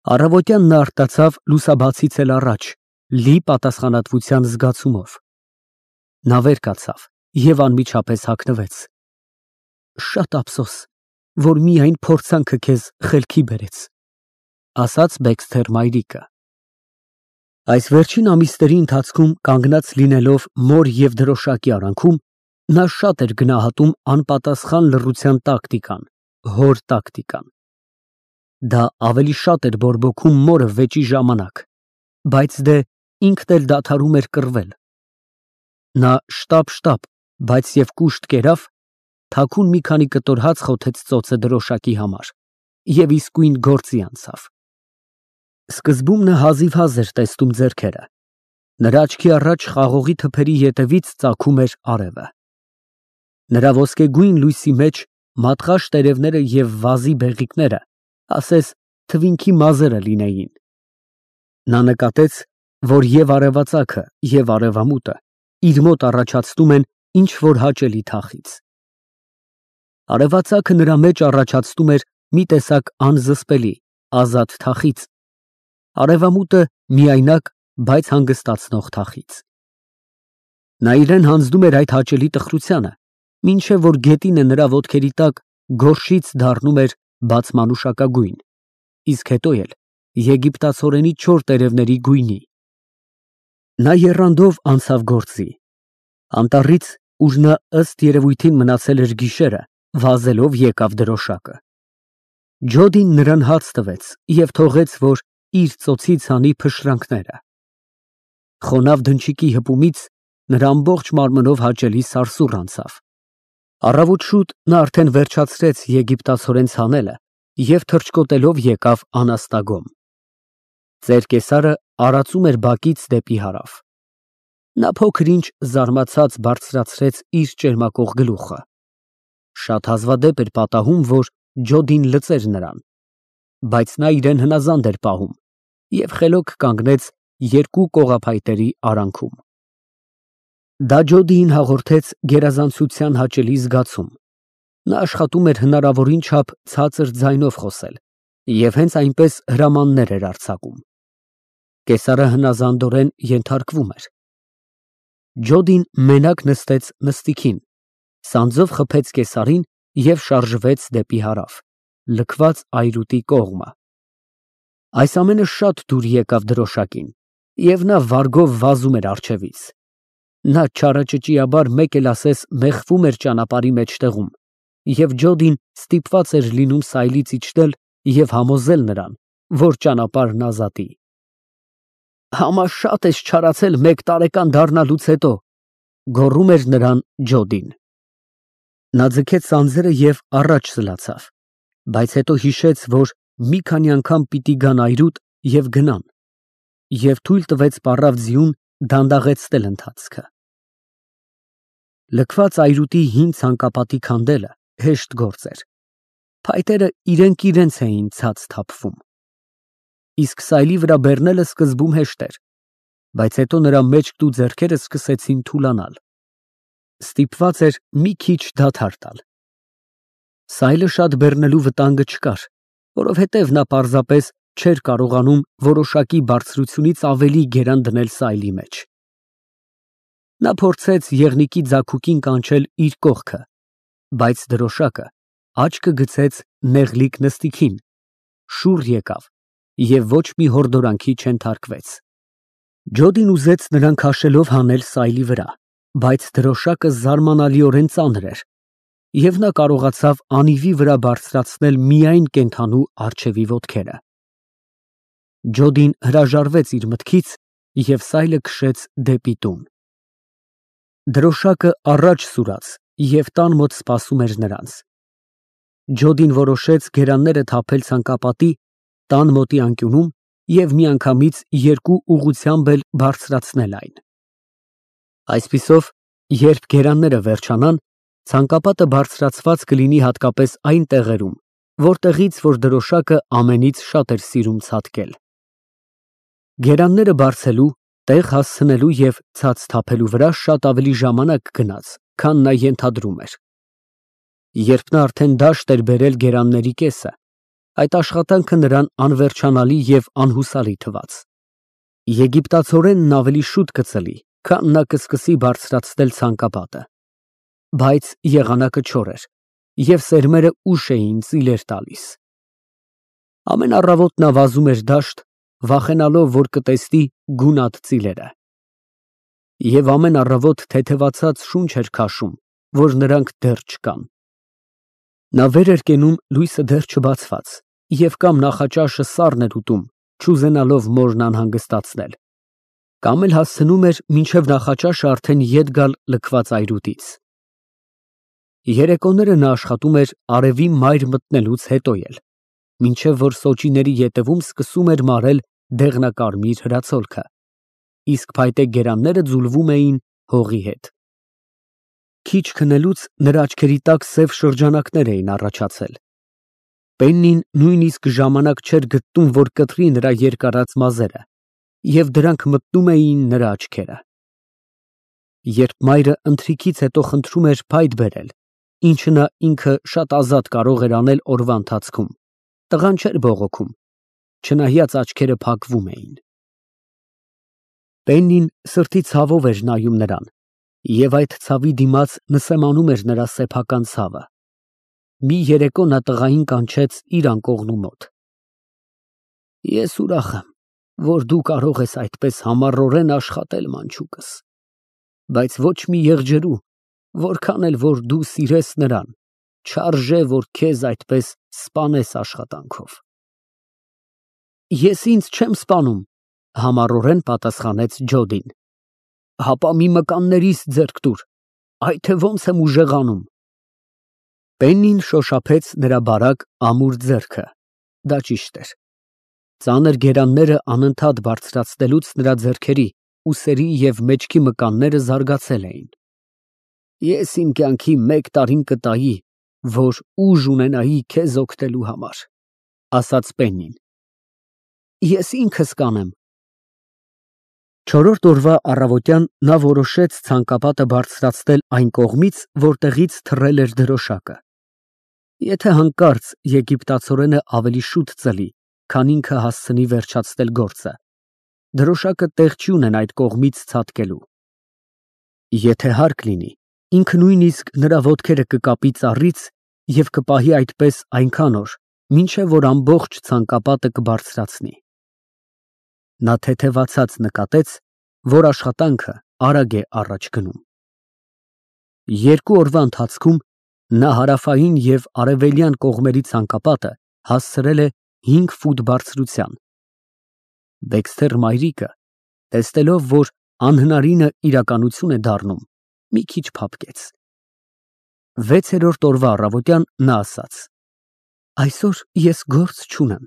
Առավոտյան նա արտացավ լուսաբացից էլ առաջ, լի պատասխանատվության զգացումով։ Նա վեր կացավ և անմիջապես հագնվեց։ Շատ ափսոս, որ միայն փորձանքը քեզ խելքի բերեց, ասաց Բեքսթեր մայրիկը։ Այս վերջին ամիսների ընթացքում կանգնած լինելով մոր և դրոշակի արանքում, նա շատ էր գնահատում անպատասխան լռության տակտիկան, հոր տակտիկան։ Դա ավելի շատ էր բորբոքում մորը վեճի ժամանակ, բայց դե ինքն էլ դադարում էր կռվել։ Նա շտապ, բայց և կուշտ կերավ, թաքուն մի քանի կտոր հաց խոթեց ծոցը դրոշակի համար և իսկույն գործի անցավ։ Սկզբում նա հազիվհազ էր տեսնում ձեռքերը, նրա աչքի առաջ խաղողի թփերի ետևից ծագում էր արևը։ Նրա ոսկեգույն լույսի մեջ մատղաշ տերևները և վազի բեղիկները ասես թվինքի մազերը լինեին։ Նա նկատեց, որ և արևածագը, և արևամուտը իր մոտ առաջացնում են ինչ֊որ հաճելի թախիծ։ Արևածագը նրա մեջ առաջացնում էր մի տեսակ անզսպելի, ազատ թախիծ, արևամուտը միայնակ, բայց հանգստացնող թախիծ։ Նա իրան հանձնում էր այդ հաճելի տխրությանը, մինչև որ գետինը նրա ոտքերի տակ գորշից դառնում էր բացմանուշակագույն, իսկ հետո էլ եգիպտացորենի չոր տերևների գույնի։ Նա եռանդով անցավ գործի։ Անտառից, ուր նա ըստ երևույթին մնացել էր գիշերը, վազելով եկավ դրոշակը։ Ջոդին նրան հաց տվեց և թողեց, որ իր ծոցից հանի փշրանքները։ Խոնավ դնչիկի հպումից նրա ամբողջ մարմնով հաճելի սարսուռ անցավ։ Առավոտ շուտ նա արդեն վերջացրեց եգիպտացորեն ցանելը և թռչկոտելով եկավ անաստագոմ։ Ծեր կեսարը արածում էր բակից դեպի հարավ։ Նա փոքր-ինչ զարմացած բարձրացրեց իր ճերմակող գլուխը։ Շատ հազվադեպ էր պատահում, որ Ջոդին լծեր նրան, բայց նա իրեն հնազանդ էր պահում և խելոք կանգնեց երկու կողափայտերի արանքում։ Դա Ջոդիին հաղորդեց գերազանցության հաճելի զգացում։ Նա աշխատում էր հնարավորին չափ ցածր ձայնով խոսել և հենց այնպես հրամաններ էր արձակում։ Կեսարը հնազանդորեն ենթարկվում էր։ Ջոդին մենակ նստեց նստիքին, սանձով խփեց կեսարին և շարժվեց դեպի հարավ, լքված այրուտի կողմը։ Այս ամենը շատ դուր եկավ դրոշակին, և նա վարգով վազում էր առջևից։ Նա չարաճճիաբար մեկ էլ ասես մեխվում էր ճանապարհի մեջտեղում, և Ջոդին ստիպված էր լինում սայլից իջնել և համոզել նրան, որ ճանապարհն ազատի։ «Համա շատ ես չարացել մեկ տարեկան դառնալուց հետո», ֊ գոռում էր նրան Ջոդին։ Նա ձգեց սանձերը և առաջ սլացավ, բայց հետո հիշեց, որ մի քանի անգամ պիտի գան այրուտ և գնան, և թույլ տվեց պառավ ձիուն դանդաղեցնել ընթացքը։ Լքված այրուտի հին ցանկապատի քանդելը հեշտ գործ էր։ Փայտերը իրենք իրենց էին ցած թափվում։ Իսկ սայլի վրա բեռնելը սկզբում հեշտ էր, բայց հետո նրա մեջքն ու ձեռքերը սկսեցին թուլանալ։ Ստիպված էր մի քիչ դադար տալ։ Սայլը շատ բեռնելու վտանգը չկար, որովհետև նա պարզապես չէր կարողանում որոշակի բարձրությունից ավելի գերան դնել սայլի մեջ։ Նա փորձեց եղնիկի ձագուկին կանչել իր կողքը, բայց դրոշակը աչքը գցեց նեղլիկ նստիքին, շուռ եկավ և ոչ մի հորդորանքի չենթարկվեց։ Ջոդին ուզեց նրան քաշելով հանել սայլի վրա, բայց դրոշակը զարմանալիորեն ծանր էր, և նա կարողացավ անիվի վրա բարձրացնել միայն կենդանու առջևի ոտքերը։ Ջոդին հրաժարվեց իր մտքից և սայլը քշեց դեպի տուն։ Դրոշակը առաջ սուրաց և տան մոտ սպասում էր նրանց։ Ջոդին որոշեց գերանները թափել ցանկապատի, տան մոտի անկյունում և միանգամից երկու ուղղությամբ էլ բարձրացնել այն։ Այսպիսով, երբ գերանները վերջանան, ցանկապատը բարձրացված կլինի հատկապես այն տեղերում, որտեղից որ դրոշակը ամենից շատ էր սիրում ցատկել։ Գերանները բարձելու, տեղ հասցնելու և ցած թափելու վրա շատ ավելի ժամանակ գնաց, քան նա ենթադրում էր։ Երբ նա արդեն դաշտ էր բերել գերանների կեսը, Այդ աշխատանքը նրան անվերջանալի և անհուսալի թվաց։ Եգիպտացորենն ավելի շուտ կծլի, քան նա կսկսի բարձրացնել ցանկապատը։ Բայց եղանակը չոր էր, և սերմերը ուշ էին ծիլեր տալիս։ Ամեն առավոտ նա վազում էր դաշտ, վախենալով, որ կտեսնի գունատ ծիլերը։ Եվ ամեն առավոտ թեթևացած շունչ էր քաշում, որ նրանք դեռ չկան։ Նա վեր էր կենում լույսը դեռ չբացված, և կամ նախաճաշը սառն էր ուտում, չուզենալով մորն անհանգստացնել, կամ էլ հասցնում էր մինչև նախաճաշը արդեն ետ գալ լքված այրուտից։ Երեկոները նա աշխատում էր արևի մայր մտնելուց հետո էլ, մինչև որ սոճիների ետևում սկսում էր մարել դեղնակարմիր հրացոլքը, իսկ փայտե գերանները ձուլվում էին հողի հետ։ Քիչ քնելուց նրա աչքերի տակ սև շրջանակներ էին առաջացել։ Պեննին նույնիսկ ժամանակ չէր գտնում, որ կտրի նրա երկարած մազերը, և դրանք մտնում էին նրա աչքերը։ Երբ մայրը ընթրիքից հետո խնդրում էր փայտ բերել, ինչը նա ինքը շատ ազատ կարող էր անել օրվա ընթացքում, տղան չէր բողոքում, չնայած աչքերը փակվում էին։ Պեննին սրտի ցավով էր նայում նրան, և այդ ցավի դիմաց նսեմանում էր նրա սեփական ցավը։ Մի երեկո նա տղային կանչեց իր անկողնու մոտ։ Ես ուրախ եմ, որ դու կարող ես այդպես համառորեն աշխատել, մանչուկս, բայց ոչ մի եղջերու, որքան էլ որ դու սիրես նրան, չարժե, որ քեզ այդպես սպանես աշխատանքով։ Ես ինձ չեմ սպանում, համառորեն պատասխանեց Ջոդին։ Հապա մի մկաններիս ձեռք տուր, այ թե ոնց եմ ուժեղանում։ Պեննին շոշափեց նրա բարակ ամուր ձեռքը, դա ճիշտ էր։ Ծանր գերանները անընդհատ բարձրացնելուց նրա ձեռքերի, ուսերի և մեջքի մկանները զարգացել էին։ Ես իմ կյանքի 1 տարին կտայի, որ ուժ ունենայի քեզ օգնելու համար, ասաց Պեննին։ Ես ինքս կանեմ։ Չորրորդ օրվա առավոտյան նա որոշեց ցանկապատը բարձրացնել այն կողմից, որտեղից թռել էր դրոշակը։ Եթե հանկարծ եգիպտացորենը ավելի շուտ ծլի, քան ինքը հասցնի վերջացնել գործը, դրոշակը տեղ չի ունենա այդ կողմից ցատկելու։ Եթե հարկ լինի, ինքը նույնիսկ նրա ոտքերը կկապի ծառից և կպահի այդպես այնքան օր, մինչև որ ամբողջ ցանկապատը կբարձրացնի։ Նա թեթևացած նկատեց, որ աշխատանքը արագ է առաջ գնում։ 2 օրվա ընթացքում նա հարավային և արևելյան կողմերի ցանկապատը հասցրել է 5 ֆուտ բարձրության։ Դեքսթեր մայրիկը, տեսնելով, որ անհնարինը իրականություն է դառնում, մի քիչ փափկեց։ 6-րդ օրվա առավոտյան նա ասաց. Այսօր ես գործ չունեմ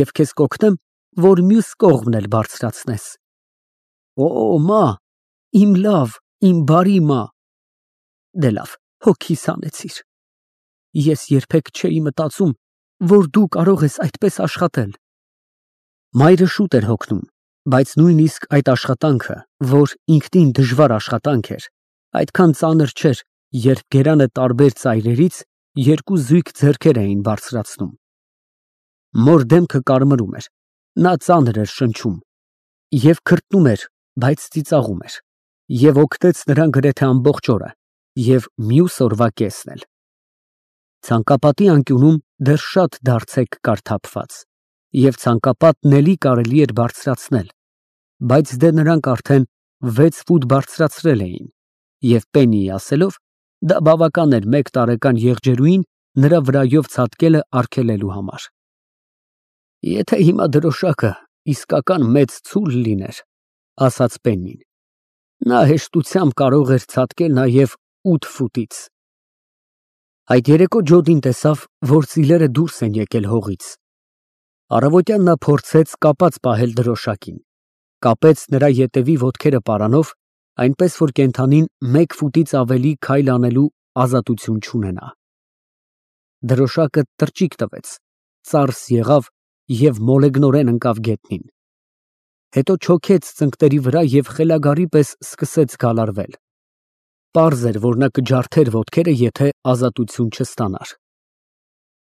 և քեզ կօգնեմ, որ մյուս կողմն էլ բարձրացնես։ Օ, մա, իմ լավ, իմ բարի մա։ Դե լավ, հոգիս հանեցիր։ Ես երբեք չէի մտածում, որ դու կարող ես այդպես աշխատել։ Մայրը շուտ էր հոգնում, բայց նույնիսկ այդ աշխատանքը, որ ինքնին դժվար աշխատանք էր, այդքան ծանր չէր, երբ գերանը տարբեր ծայրերից 2 զույգ ձեռքեր էին բարձրացնում։ Մոր դեմքը կարմրում էր, նա ծանր էր շնչում և քրտնում էր, բայց ծիծաղում էր, և օգնեց նրան գրեթե ամբողջ օրը և մյուս օրվա կեսն էլ։ Ցանկապատի անկյունում դեռ շատ դարձեք կար թափված, և ցանկապատն էլի կարելի էր բարձրացնել, բայց դե նրանք արդեն 6 ֆուտ բարձրացրել էին, և Պեննիի ասելով, դա բավական էր 1 տարեկան եղջերուին նրա վրայով ցատկելը արգելելու համար։ Եթե հիմա դրոշակը իսկական մեծ ցուլ լիներ, ասաց Պեննին, նա հեշտությամբ կարող էր ցատկել նաև 8 ֆուտից։ Այդ երեկո Ջոդին տեսավ, որ ծիլերը դուրս են եկել հողից։ Առավոտյան նա փորձեց կապած պահել դրոշակին, կապեց նրա ետևի ոտքերը պարանով, այնպես որ կենդանին 1 ֆուտից ավելի քայլ անելու ազատություն չունենա։ Դրոշակը տրճիկ տվեց, ծարս եղավ և մոլեգնորեն ընկավ գետնին։ Հետո չոքեց ծնկների վրա և խելագարի պես սկսեց գալարվել։ Պարզ էր, որ նա կջարդեր ոտքերը, եթե ազատություն չստանար։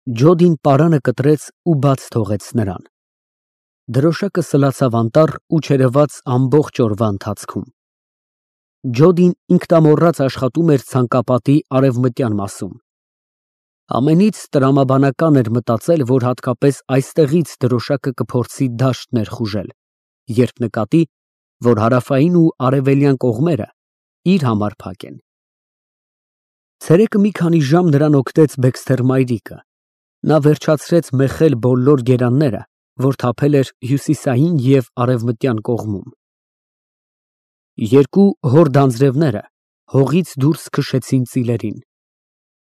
Ջոդին պարանը կտրեց ու բաց թողեց նրան։ Դրոշակը սլացավ անտառ ու չերևաց ամբողջ օրվա ընթացքում։ Ջոդին ինքնամոռաց աշխատում էր ցանկապատի արևմտյան մասում։ Ամենից տրամաբանական էր մտածել, որ հատկապես այստեղից դրոշակը կփորձի դաշտ ներխուժել, երբ նկատի, որ հարավային ու արևելյան կողմերը իր համար փակ են։ Ցերեկը մի քանի ժամ նրան օգնեց Բեքսթեր մայրիկը։ Նա վերջացրեց մեխել բոլոր գերանները, որ թափել էր հյուսիսային և արևմտյան կողմում։ Երկու հոր դանձրևները հողից դուրս քշեցին ծիլերին։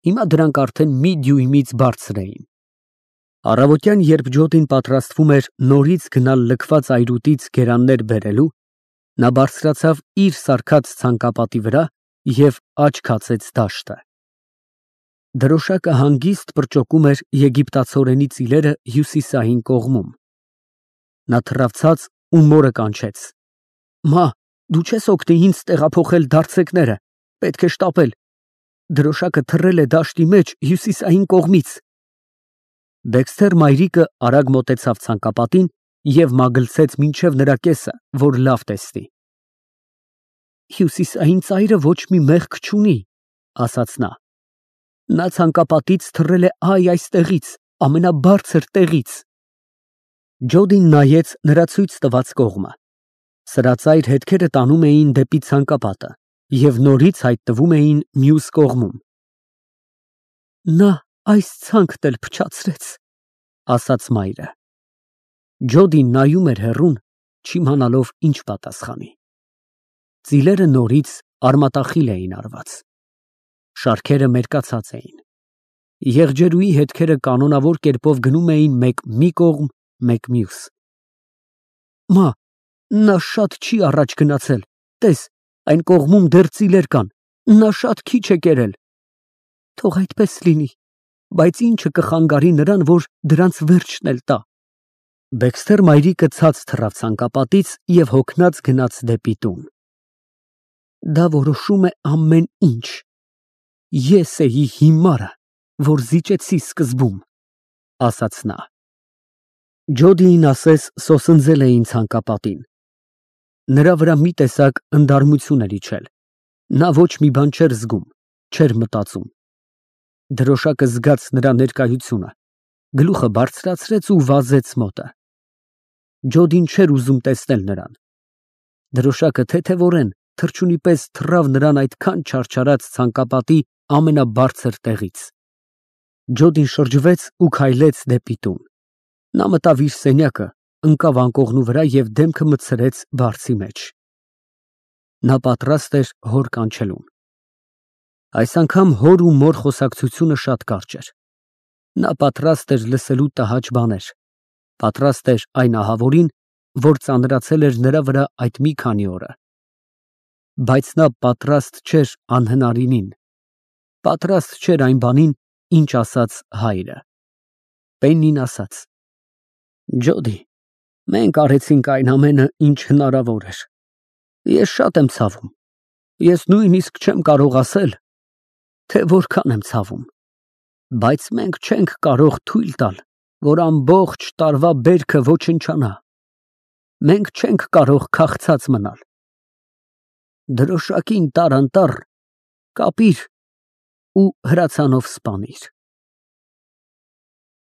Հիմա դրանք արդեն մի դյույմից բարձր էին։ Առավոտյան, երբ Ջոդին պատրաստվում էր նորից գնալ լքված այրուտից գերաններ բերելու, նա բարձրացավ իր սարքած ցանկապատի վրա և աչք հացեց դաշտը։ Դրոշակը հանգիստ պրճոկում էր եգիպտացորենի ծիլերը հյուսիսային կողմում։ Նա թռավ ու մորը կանչեց. «Մա, դու չես օգնի ինձ տեղափոխել դարձեկները, պետք է շտապել։ Դրոշակը թռել է դաշտի մեջ հյուսիսային կողմից»։ Բեքսթեր մայրիկը արագ մոտեցավ ցանկապատին և մագլցեց մինչև նրա կեսը, որ լավ տեսնի։ «Հյուսիսային ծայրը ոչ մի մեղք չունի», ասաց նա։ «Նա ցանկապատից թռել է այստեղից, ամենաբարձր տեղից»։ Ջոդին նայեց նրա ցույց տված կողմը։ Սրածայր հետքերը տանում էին դեպի ցանկապատը և նորից հայտնվում էին մյուս կողմում։ «Նա այս ցանկն էլ փչացրեց», ասաց մայրը։ Ջոդին նայում էր հեռուն, չիմանալով ինչ պատասխանի։ Ծիլերը նորից արմատախիլ էին արված։ Շարքերը մերկացած էին։ Եղջերուի հետքերը կանոնավոր կերպով գնում էին մեկ մի կողմ, մեկ մյուս։ «Մա, նա շատ չի առաջ գնացել, տես, այն կողմում դեռ ծիլեր կան, նա շատ քիչ է կերել»։ «Թող այդպես լինի, բայց ի՞նչը կխանգարի նրան, որ դրանց վերջն էլ տա»։ Բեքսթեր մայրիկը ցած թռավ ցանկապատից և հոգնած գնաց դեպի տուն։ «Դա որոշում է ամեն ինչ։ Ես էի հիմարը, որ զիջեցի սկզբում», ասաց նա։ Ջոդիին ասես սոսնձել էին ցանկապատին։ Նրա վրա մի տեսակ ընդարմություն էր իջել։ Նա ոչ մի բան չէր զգում, չէր մտածում։ Դրոշակը զգաց նրա ներկայությունը, գլուխը բարձրացրեց ու վազեց մոտը։ Ջոդին չէր ուզում տեսնել նրան։ Դրոշակը թեթևորեն թռչունի պես թռավ նրան այդքան չարչարած ցանկապատի ամենաբարձր տեղից։ Ջոդին շրջվեց ու քայլեց դեպի տուն։ Նա մտավ իր սենյակը, ընկավ անկողնու վրա և դեմքը մտցրեց բարձի մեջ։ Նա պատրաստ էր հոր կանչելուն։ Այս անգամ հոր ու մոր խոսակցությունը շատ կարճ էր։ Նա պատրաստ էր լսելու տհաճ բաներ, պատրաստ էր այն ահավորին, որ ծանրացել էր նրա վրա այդ մի քանի օրը։ Բայց նա պատրաստ չէր անհնարինին, պատրաստ չէր այն բանին, ինչ ասաց հայրը։ Պեննին ասաց. «Ջոդի, մենք արեցինք այն ամենը, ինչ հնարավոր էր։ Ես շատ եմ ցավում։ Ես նույնիսկ չեմ կարող ասել, թե որքան եմ ցավում։ Բայց մենք չենք կարող թույլ տալ, որ ամբողջ տարվա բերքը ոչնչանա։ Մենք չենք կարող քաղցած մնալ։ Դրոշակին տար անտառ, կապիր ու հրացանով սպանիր»։